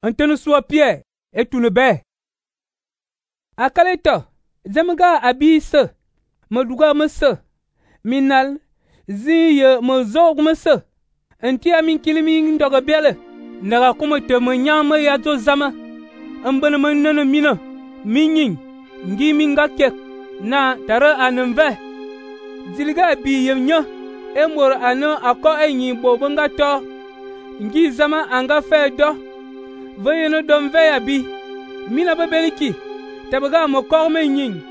Antene sua Pierre et tout le bé. Akaleto, zemga abi se, maduga mese, minal, ziye mozog mese, antia min kilimi ndoga bele, naga kuma te manyama ya zo zama, ambana manana mina, minyin, ngi minga kek, na tara anenve. Zilga abi yemnya, emor ano ako enyi bobanga to, ngi zama anga fe do, vayeno domve abi, mina babeliki, tabaga mo korme nyin,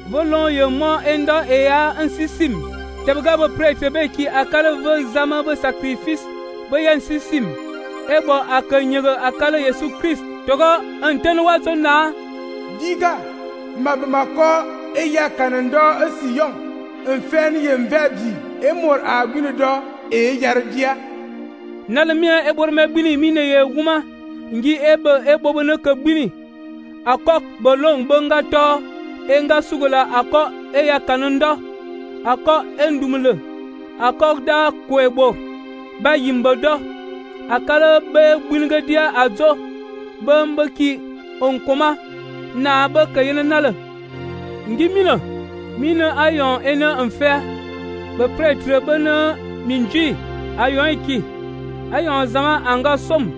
volon ye mo endo ea ansisim, tabaga bo prêtre beki akala ve zama bo sacrifice, bo yansisim, ebo akanyega akala Yesu Christ, togo antene wazo na, diga, mabamako eya kanando asiyon, enfen yemvebi, emor agune do e yardia. Nalemia ebor me bini mine ye wuma, ngi ebo ne ke bini, akok bolong bonga to, enga sugula ako eya kanando, ako endumule, akok da kwebo, ba yimbodo, akala be bunga dia azo, bambaki onkoma, na ba kayena nale. Ngi mina ayon ena enfer, be prêtre bena minji, ayon iki, ayon zama anga som,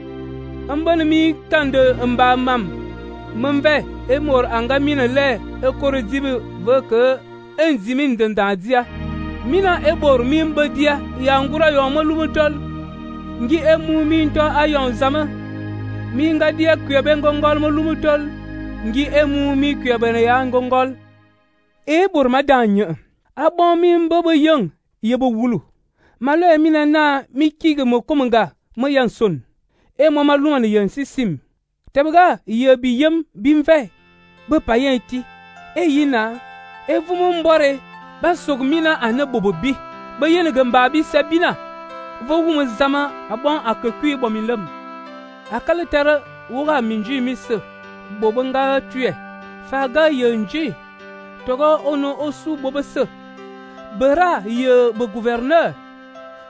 ambana mi kande mba mam, memve emor anga mina le ekoro dibe veke enzimin dendadia, mina ebor mi mbadia ya ngura yon malumutol, ngi emu minto ayon zama, mi nga dia kuyebe ngongol malumutol, ngi emu mi kuyebe ya ngongol. Ebor madanya, abon mi mbaba yung, yebo wulu. Malo emina na mi kige mo kumunga, mo yanson. E mo maluma ni yansisim. Tabaga, yebi yem bimve. Be payen ti. E yina, e vumu mbore, ba sogmina ane bobobi. Be yene gembabi sabina. Vo wumu zama, abon akekui bomilem. Akale tere, wura minji mise. Bobonga tue. Faga yenji. Togo ono osu bobese. Bera ye be gouverneur.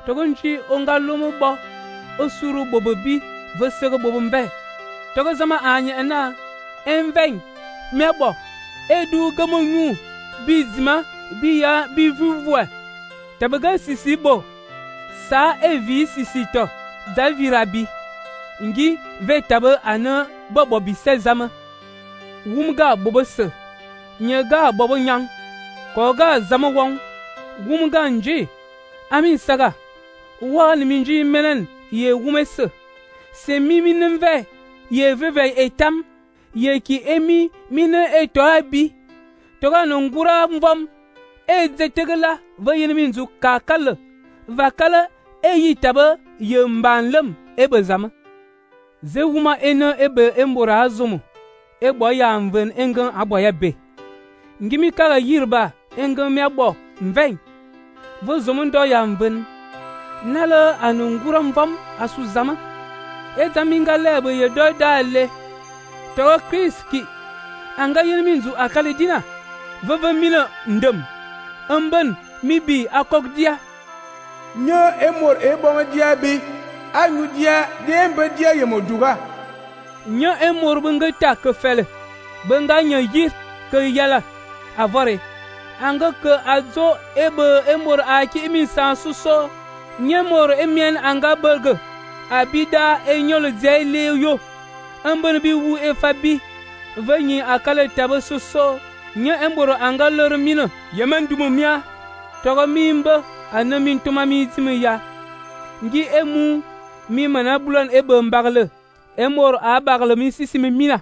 Togo nchi onga lomo bo. Osuru bobobi vesere bobombe. Togo zama anye ena. Enveng. Mebo. Edu gamongu. Bizima. Biya bivuvwe. Tabaga sisi bo. Sa evi sisi to. Davirabi. Ngi ve tabe ane bobobi se zama. Wumga bobese. Nyega bobo nyang, koga zama wong, wumga nji, amin saga, wal minji menen ye wumese, se mimi nemve, ye veve etam, ye ki emi mine eto abi, toga nungura mvom, e zetegela, vayen minzu kakale, vakale, e yitabe, ye mbanlem, ebe zama. Ze wuma ene ebe embora azumu, ebo ya mven engen aboya be. Ngimi kaga yirba engem miabo mveng vo zomundo ya mven nala anungura mvam asu zama etaminga lebe ye do dale to kriski anga yelminzu akale dina veve mina ndem amben mibi akokdia nyo emor eboma dia bi anu dia dembe dia yemoduga nyo emor bunga ta ke fele bunga nyo yir ke yala avore anga ke azo ebe emor aki imi sansuso nyemor emien anga burger abida enyolo zele yo ambon bi wu efabi vanyi akale tabe suso nye emboro anga lor mino yemen dumumia togo mimba anamin tuma mi zimi ya ngi emu mi mana bulon ebe mbagle emor a bagle mi sisimi mina